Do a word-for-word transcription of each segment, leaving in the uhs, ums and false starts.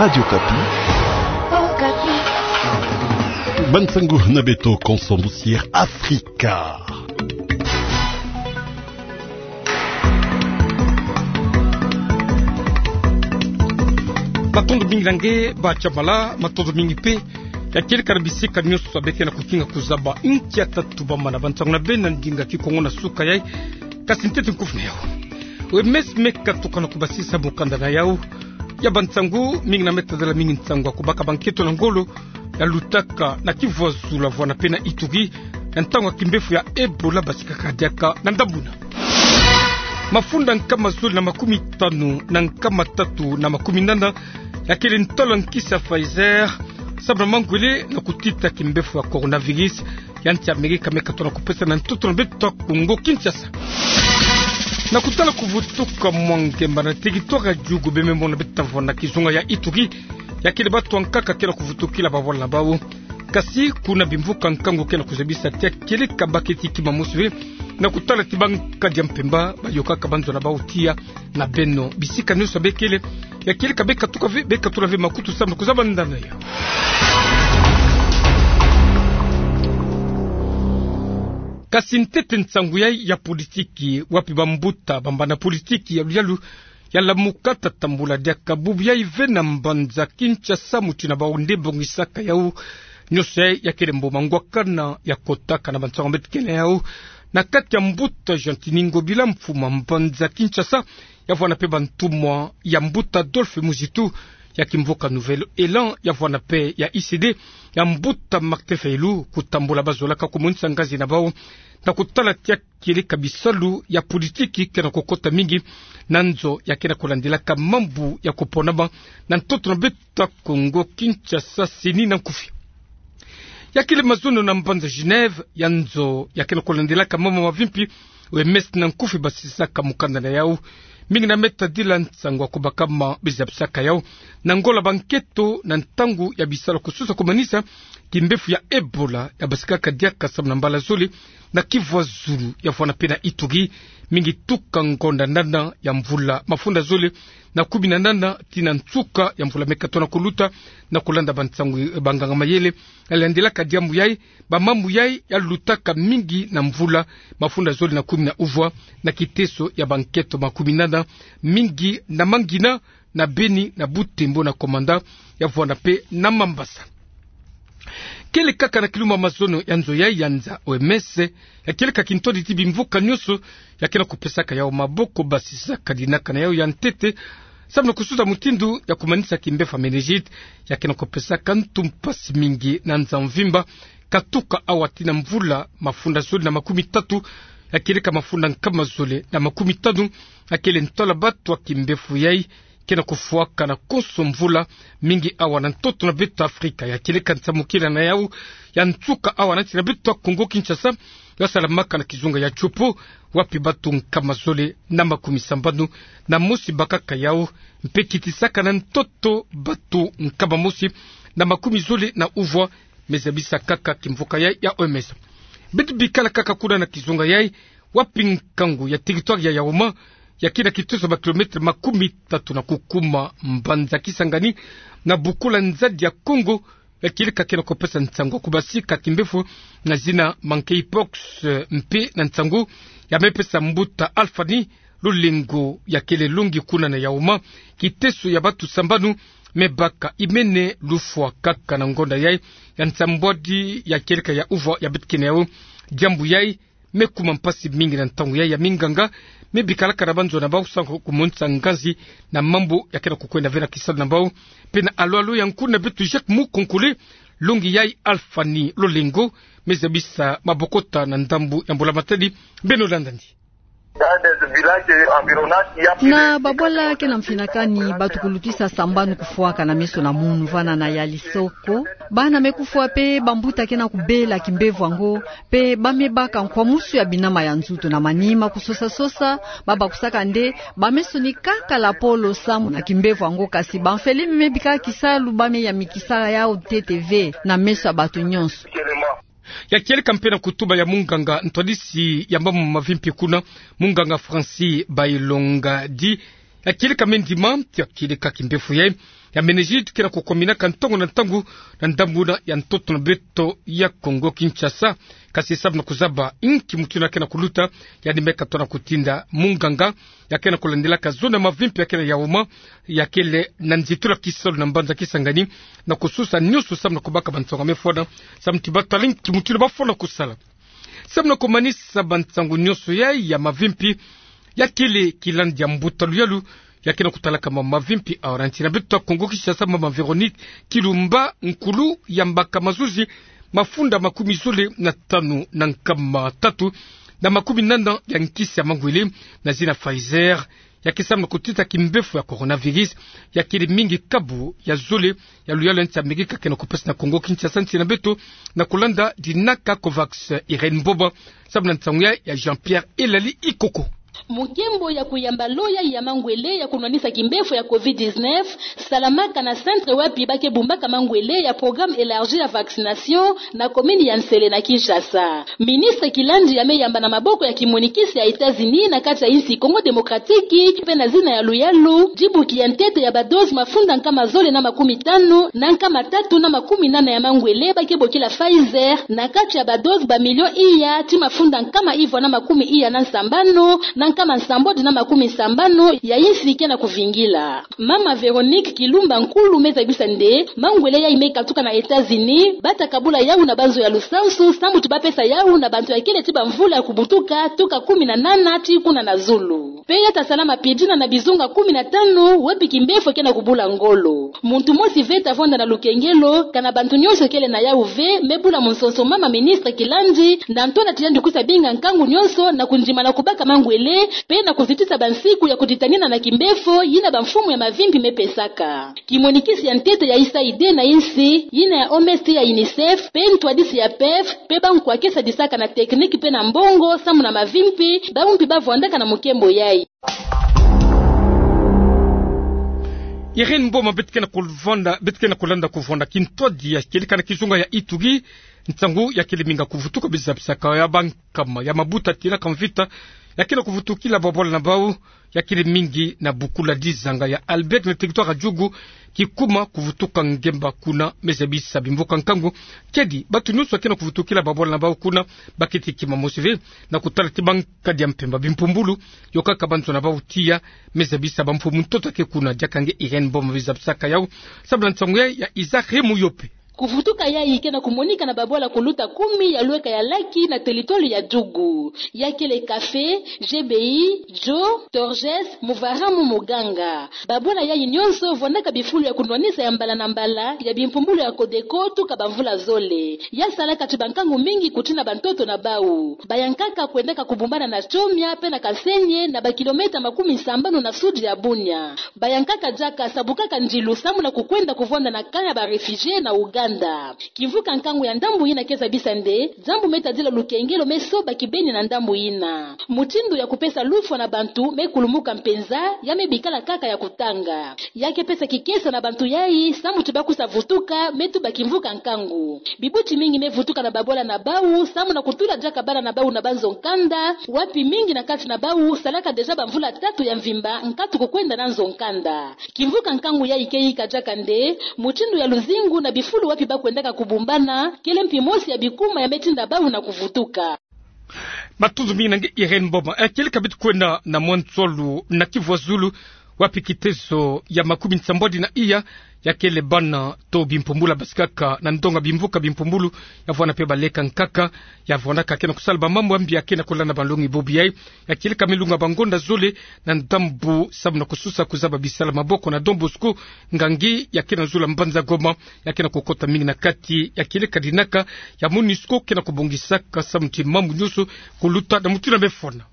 Radio Okapi. Okapi. Ba nsangu na beto konso musier Afrika. Matondo mingi na nge, ba Chamala, matondo mingi mpe. Ya kieleka na bisika nyonso beke na kukinga kuzaba inki ya tatu bamana ba nsangu na beno na ndinga Kikongo na suka yai. Kasi ntete nkufi na yau. O M S me katuka na kubasisa mukanda na yau ya ba nsangu, mingi na me tadala mingi nsangu ya kubaka ba nkento na ngolo ya lutaka na Kivu ya Zulu ya vwanda mpe na Ituri, ya ntangu ya kimbevo ya Ebola basikaka diaka na ndambu na mafunda nkama zole na makumi tanu na nkama tatu na makumi nana ya kele ntalo ya nkisi ya Pfizer, samu na mangwele na kutita kimbevo ya coronavirus ya nsi Amerika me katuka na kupesa na ntoto na beto ya Kongo Kinshasa. Na kutala kuvutuka mwa ngemba na territoire ya Djugu, bembe mona beto vwanda na kizunga ya Ituri, ya kele bato ya nkaka ke na kuvutukila babwala na bau. Kasi kuna bimvuka nkangu ke na kuzabisa ti ya kieleka baketi kima mosi ve na kutala ti ba nkadi ya mpemba bayokaka banzo na bau tiya na beno bisika nyonso bekele. Ya kieleka be katuka ve, be katula ve makutu samu na kuzaba ndanda ya. Kasi ntete nsangu yai ya politiki, wapi bambuta, bambanda politiki ya luyalu ya lamuka ta tambula diaka bubu yai ve na mbanza Kinshasa, muti na bau nde bongisaka yau. Nyonso yai ya kele mboma ngwakana ya kotaka na ba nsangu beto ke na yau na kati ya mbuta Gentiny Ngobila, mfuma mbanza Kinshasa, ya vwanda mpe bantumwa ya mbuta Adolphe Muzitu ya kimvuka Nouvel Elan, ya vwanda mpe ya U C D ya mbuta Martin Fayulu, kutambula bazolaka kumonisa ngazi na bau na kutala ti ya kieleka bisalu ya politiki ke na kukota mingi na nzo ya ke na kulandilaka mambu ya kuponama na ntoto na beto ya Kongo Kinshasa, CENI na nkufi. Ya kele mazono na mbanza Genève, ya nzo ya ke na kulandilaka mambu mavimpi, O M S na nkufi basisaka mukanda na yau. Mingi na me tadila nsangu ya kubakama bizabisaka yau na ngola ba nkento na ntangu ya bisalu kususa kumanisa kimbevo ya Ebola ya basikaka diaka samu na mbala zole na Kivu ya Zulu ya vwanda mpe na Ituri, mingi tuka ngonda nana ya mvula mafunda zole na kumi na nana tii na nsuka ya mvula me katuka na kuluta, na kulanda ba nsangu, eh, banganga mayele ya landilaka diambu yai. Ba mambu yai ya lutaka mingi na mvula mafunda zole na kumi na uvwa na kiteso ya ba nkento makumi nana, mingi na Mangina, na Beni, na Butembo, na Komanda, ya vwanda mpe na Mambasa. Kele kaka na kilumbu ya mazono ya nzo yai ya nza O M S, ya kieleka kintwadi ti bimvuka nyonso ya ke na kupesaka yau maboko basisaka dinaka na yau ya ntete samu na kususa mutindu ya kumanisa kimbevo ya méningite ya ke na kupesaka ntu mpasi mingi na nza mvimba, katuka awa tii na mvula mafunda zole na makumi tatu, ya kieleka mafunda nkama zole na makumi tanu, ya kele ntwala bato ya kimbevo yai ke na kufwaka na konso mvula, mingi awa na ntoto na beto Afrika. Ya kieleka nsamukila na yau ya nsuka awa na nsi na beto ya Kongo Kinshasa, ya salamaka na kizunga ya Tshopo, wapi bato nkama zole na makumi sambanu na mosi bakaka yau, mpe kitisaka na ntoto bato nkama mosi na makumi zole na uvwa, me zabisa kaka kimvuka yai ya O M S. Beto bikala kaka kuna na kizunga yai, wapi nkangu ya territoire ya Yaouma, ya ke na kiteso ba kilomètre makumi tatu na kukuma mbanza Kisangani, na bukula nzadi ya Kongo, ya kieleka ke na kupesa nsangu ya kubasika kimbevo na zina monkeypox, eh, mpe na nsangu ya me pesa mbuta Alphani Lolengo, ya kele longi kuna na Yaouma, kiteso ya bato sambanu me baka imene lufwa kaka na ngonda yai ya nsambwadi ya kieleka ya uvwa ya beto ke na yau. Diambu yai me kuma mpasi mingi na ntangu yai ya minganga me bikalaka na banzo na bau samu kumonisa ngazi na mambu ya ke na kukwenda ve na kisalu na bau. Mpe na alu-alu ya nkulu na beto Jacques Mukonkole, longi yai Alphani Lolengo me zabisa mabokota na ndambu ya Mbula Matadi. Beno landani. Na babwala ke na mfinakani, bato kulutisa sambanu kufwaka na meso na munu vana na Yalisoko. Bana me kufwa mpe bambuta ke na kubela kimbevo yango, mpe ba me baka nkwamusu ya binama ya nzutu na manima kusosa-sosa, ba bakusaka nde ba meso ni kaka lapolo samu na kimbevo yango, kasi bamfele me bika kisalu ba me yamikisa yau ntete ve na meso ya bato nyonso. Ya kieleka mpe na kutuba ya munganga ntwadisi ya mambu mavimpi kuna, munganga Francis Bailonga di, ya kieleka me ndima ti ya kieleka kimbevo yai ya meningite ke na kukominaka ntangu na ntangu na ndambu na ya ntoto na beto ya Kongo Kinshasa. Kasi samu na kuzaba inki mutindu ke na kuluta, yandi me katoa na kutinda munganga ya ke na kulandilaka zona mavimpi ya ke na yauma, ya kele na nzitula kisalu na mbanza Kisangani, na kususa nyonso samu na kubaka bansango ya mefwana, samu ti batala inki mutindu bafwana kusala. Samu na kumanisa bansango nyonso yai ya mavimpi, ya kele kilandi ya mbuta luyalu ya ke na kutalaka mambu mavimpi. Awa nti na beto ya Kongo Kinshasa, mama Véronique Kilumba, nkulu ya mbaka mazuzi mafunda makumi zole na tanu na nkama tatu na makumi nana ya nkisi ya mangwele na zina Pfizer, ya ke samu na kutita kimbefo ya coronavirus, ya kele mingi kabu ya zole ya luyalu ya nsi Amerika ke na kupesa na Kongo Kinshasa, nti na beto, na kulanda dinaka COVAX. Irène Mboma, samu na nsangu ya, ya Jean-Pierre Elali Ikoko. Mukembo ya kuyamba lo yai ya mangwele ya kunwanisa kimbefo ya covid dix-neuf salamaka na centre wapi ba ke bumbaka mangwele ya programme élargi ya vaccination na commune ya Nsele na Kinshasa. Ministre Kilandi ya me yamba na maboko ya kimonikisi ya États-Unis na kati ya insi Congo Démocratique, pe na zina ya luyalu, dibuki ya ntete ya ba dose mafunda nkama zole na makumi tanu na nkama tatu na makumi nana ya mangwele ba ke bokila Pfizer, na kati ya ba dose ba million iya ti mafunda nkama ivwa na makumi iya na nsambanu na nkama nsambwadi na makumi nsambanu ya insi ke na kuvingila. Mama Véronique Kilumba, nkulu, me zabisa nde mangwele yai me katuka na États-Unis, ba ta kabula yau na banzo ya lusansu, samu ti ba pesa yau na bantu ya kele ti bamvula ya kubutuka, tuka kumi na nana ti kuna na zulu. Pe ya ta salama pidina na bizunga kumi na tanu, wapi kimbefo ke na kubula ngolo. Muntu mosi ve ta vwanda na lukengelo, kana bantu nyonso kele na yau ve me bula munsonso mama ministre Kilandi, na ntona ti yandi kusa binga nkangu nyonso na kundima na kubaka mangwele, pe na kuzitisa bansiku ya kuditanina na kimbefo yina bamfumu ya mavimpi me pesaka. Kimonikisi ya ntete ya USAID na insi, yina ya OMS ti ya UNICEF, pe ntwadisi ya PEV, pe bankwa ke sadisaka na technique pe na mbongo, samu na mavimpi, bawu mpi ba vwandaka na mukembo yai. Irène Mboma, beto ke na kuvwanda, beto ke na kulanda kuvwanda kintwadi ya kieleka na kizunga ya Ituri, nsangu ya kele mingi ya kuvutuka, be zabisaka ya bankama ya mabuta tina ka mvita ya ke na kuvutukila babwala na bawu, ya kele mingi na bukula dizanga ya Albert na territoire ya Djugu, kikuma kuvutuka ngemba kuna. Me zabisa bimvuka nkangu, kedi bantu nyonso ya ke na kuvutukila babwala na bawu kuna, ba keti kima mosi ve, na kutala ti bankadi ya mpemba bimpumbulu, yokaka banzo na bawu tiya. Me zabisa bamfumu ntoto ya ke kuna. Diaka nge Irène Mboma, be zabisaka yau, samu na nsangu ya, ya Isaac Remoyope. Kuvutuka yai ke na kumonika na babwala kuluta kumi ya lweka ya Laki na territoire ya Djugu. Ya kele Kafé, Jebei, Djo, Torjes, Muvara mu Muganga. Babwala yai nyonso vwandaka bifulu ya kunwanisa ya mbala na mbala ya bimpumbulu ya Codeco tuka bamvula zole. Ya salaka ti bankangu mingi kutina bantoto na bawu. Bayankaka kwendaka kubumbana na Tchomia pe na Kasenye, na bakilomètre makumi sambanu na sud ya Bunia. Bayankaka diaka sabukaka ndilu samu na kukwenda kuvwanda na camp ya ba réfugiés na Ouganda. Kimvuka nkangu ya ndambu yina ke zabisa nde diambu me tadila lukengelo me soba kibeni na ndambu yina. Mutindu ya kupesa lufwa na bantu me kulumuka mpenza, ya me bikala kaka ya kutanga. Ya ke pesa kikesa na bantu yai, samu ti ba kusa vutuka, me tuba kimvuka nkangu. Bibuti mingi me vutuka na babwala na bawu, samu na kutula diaka bana na bawu na banzo nkanda, wapi mingi na kati na bawu salaka déjà bamvula tatu ya mvimba nkatu kukwenda na nzo nkanda. Kimvuka nkangu yai ke yika diaka nde mutindu ya luzingu na bifulu wapi ba kwendaka kubumbana, kele mpi mosi ya bikuma ya me tinda bawu na kuvutuka. Matondo mingi na nge Irène Mboma. Eh, kieleka beto kwenda na Mwantsolu na Kivu ya Zulu, wapi kiteso ya makumi nsambwadi na iya ya kele bana to bimpumbulu ya basikaka na ndonga bimvuka bimpumbulu, ya vwanda pe baleka nkaka, ya vwandaka ke na kusala bamambu ya mbi ya ke na kulanda banlongi bobi yai. Ya kieleka me lunga bangonda zole na ndambu samu na kususa kuzaba bisala maboko na Don Bosco Ngangi, ya ke na zulu ya mbanza Goma, ya ke na kukota mingi na kati ya kieleka dinaka ya MONUSCO ke na kubongisaka samu ti mambu nyonso kuluta na mutindu ya mefwana.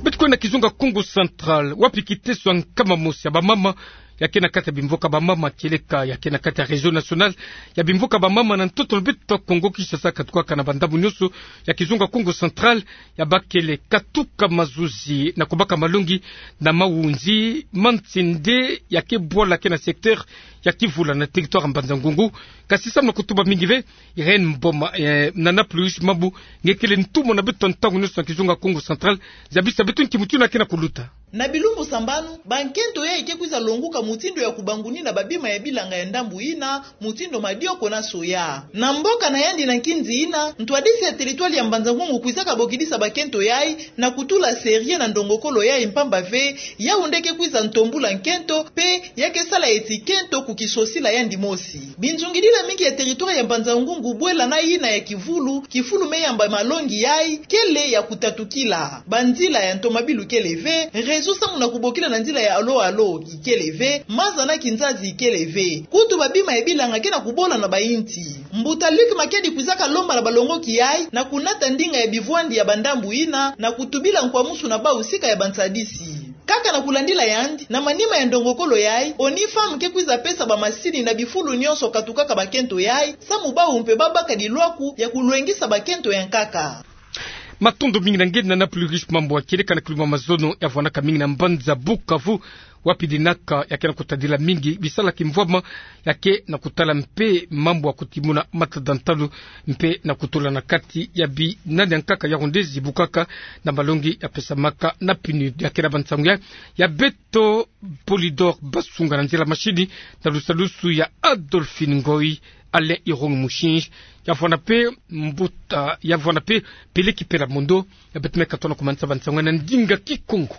Beto kwenda kizunga Kongo Central, wapi kiteso ya nkama mosi ya bamama ya ke na kati ya bimvuka bamama, kieleka ya ke na kati ya réseau national ya bimvuka bamama na ntoto na beto Kongo Kinshasa, katukaka na bandambu nyonso ya kizunga Kongo Central, ya bakele katuka mazuzi na kubaka malongi na Mawunzi ma Nsende, ya ke bwala ke na secteur ya Kivula na territoire ya Mbanza Ngungu. Kasi samu na kutuba mingi ve, Irène Mboma, eh, na Naples Mabu, nge kele ntumwa na beto ntangu nyonso na kizunga Kongo Central, zabisa beto nki mutindu ya ke na kuluta. Na bilumbu sambanu, bankento yai ke kwiza longuka mutindu ya kubangunina babima ya bilanga ya ndambu yina, mutindu madioko na soya. Na mboka na yandi na nkinzi yina, ntwadisi ya territoire ya Mbanza-Ngungu kwizaka bokidisa bakento yai, na kutula sérieux na ndongokolo yai mpamba ve, yau nde ke kwiza ntombula nkento, pe ya ke sala eti kento kukisosila yandi mosi. Binzungidila mingi ya territoire ya Mbanza-Ngungu bwela na yina ya kivulu, kifulu me yamba malongi yai, kele ya kutatukila. Banzila ya ntomabilu kele ve, réseau samu na kubokila na nzila ya alo-alo ikele ve, maza na kinzazi ikele ve. Kutu babima ya bilanga ke na kubola na bayinti. Mbuta Luc Makiadi kwizaka lomba na balongoki yai, na kunata ndinga ya bivwandi ya bandambu yina, na kutubila nkwamusu na bau sika ya bansadisi. Kaka na kulandila yandi, na manima ya ndongokolo yai, ONU Femmes ke kwiza pesa bamasini na bifulu nyonso katukaka bakento yai, samu bau mpe babaka dilwaku ya kulwengisa bakento ya nkaka. Matondo mingi na nge, na Napoli Riche Mambu, wa kieleka na kiluma mazono ya vwanaka mingi na mbanza Bukavu, wapi dinaka ya ke na kutadila mingi bisala kimvwama ya ke na kutala mpe mambu ya kutimuna matada ntalu mpe na kutula na kati ya binani ya nkaka ya rondezi bukaka na malongi ya pesamaka na PNUD. Ya ke na bansangu ya, ya beto Polydor Basunga, na nzila mashini na lusalusu ya Adolphine Ngoy, Alain Irung Mushinji, ya vwana mpe mbuta, ya vwana mpe Peleki Pela Mondo, ya beto me katona kumanisa bansangu ya na ndinga Kikongo.